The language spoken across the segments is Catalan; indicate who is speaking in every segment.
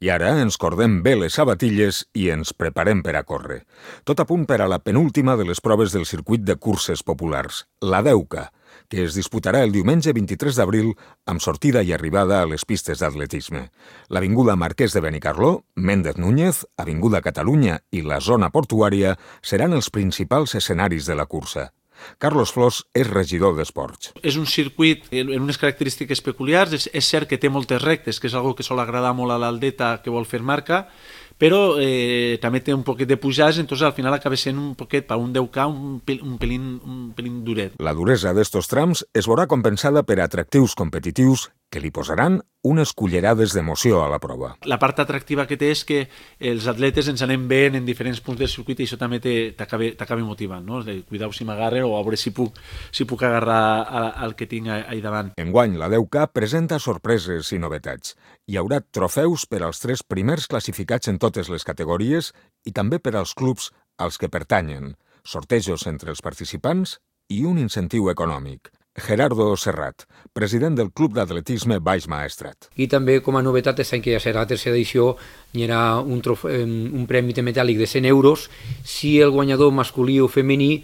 Speaker 1: I ara ens cordem bé les sabatilles i ens preparem per a córrer. Tot a punt per a la penúltima de les proves del circuit de curses populars, la 10K, que es disputarà el diumenge 23 d'abril amb sortida i arribada a les pistes d'atletisme. L'Avinguda Marquès de Benicarló, Méndez Núñez, Avinguda Catalunya i la zona portuària seran els principals escenaris de la cursa. Carlos Flors és regidor d'Esports.
Speaker 2: És un circuit amb unes característiques peculiars. És cert que té moltes rectes, que és una que sol agradar molt a l'atleta que vol fer marca, però també té un poquet de pujades, entonces al final acaba sent un poquet, per un 10K, un pelín duret.
Speaker 1: La duresa d'estos trams es veurà compensada per atractius competitius que li posaran unes cullerades d'emoció a la prova.
Speaker 2: La part atractiva que té és que els atletes ens anem veient en diferents punts del circuit i això també t'acaba motivant, no? Cuidao si m'agarre o a veure si puc agarrar el que tinc ahí davant.
Speaker 1: Enguany, la 10K presenta sorpreses i novetats. Hi haurà trofeus per als 3 primers classificats en totes les categories i també per als clubs als que pertanyen, sortejos entre els participants i un incentiu econòmic. Gerardo Serrat, president del Club d'Atletisme Baix Maestrat.
Speaker 3: I també, com a novetat, aquest any que ja serà la tercera edició, hi haurà un premi metàl·lic de 100 euros si el guanyador masculí o femení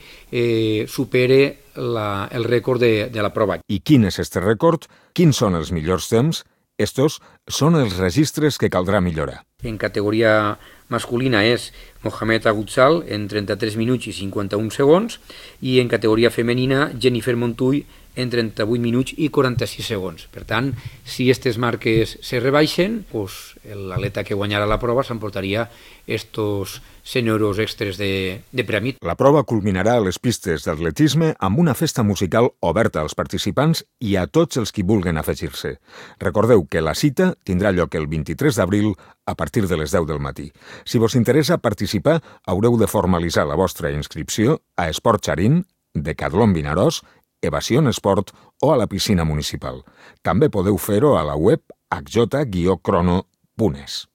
Speaker 3: supere el rècord de la prova.
Speaker 1: I quin és este rècord? Quins són els millors temps? Estos són els registres que caldrà millorar.
Speaker 3: En categoria masculina és Mohamed Agutzal en 33 minuts i 51 segons i en categoria femenina Jennifer Montull en 38 minuts i 46 segons. Per tant, si aquestes marques se rebaixen, l'atleta que guanyarà la prova s'emportaria estos 100 euros extres de premi.
Speaker 1: La prova culminarà a les pistes d'atletisme amb una festa musical oberta als participants i a tots els qui vulguen afegir-se. Recordeu que la cita tindrà lloc el 23 d'abril a partir de les 10 del matí. Si vos interessa participar, haureu de formalitzar la vostra inscripció a Esport Xarín, Decathlon Vinaròs, Evasion Esport o a la piscina municipal. També podeu fer-ho a la web hj-crono.es.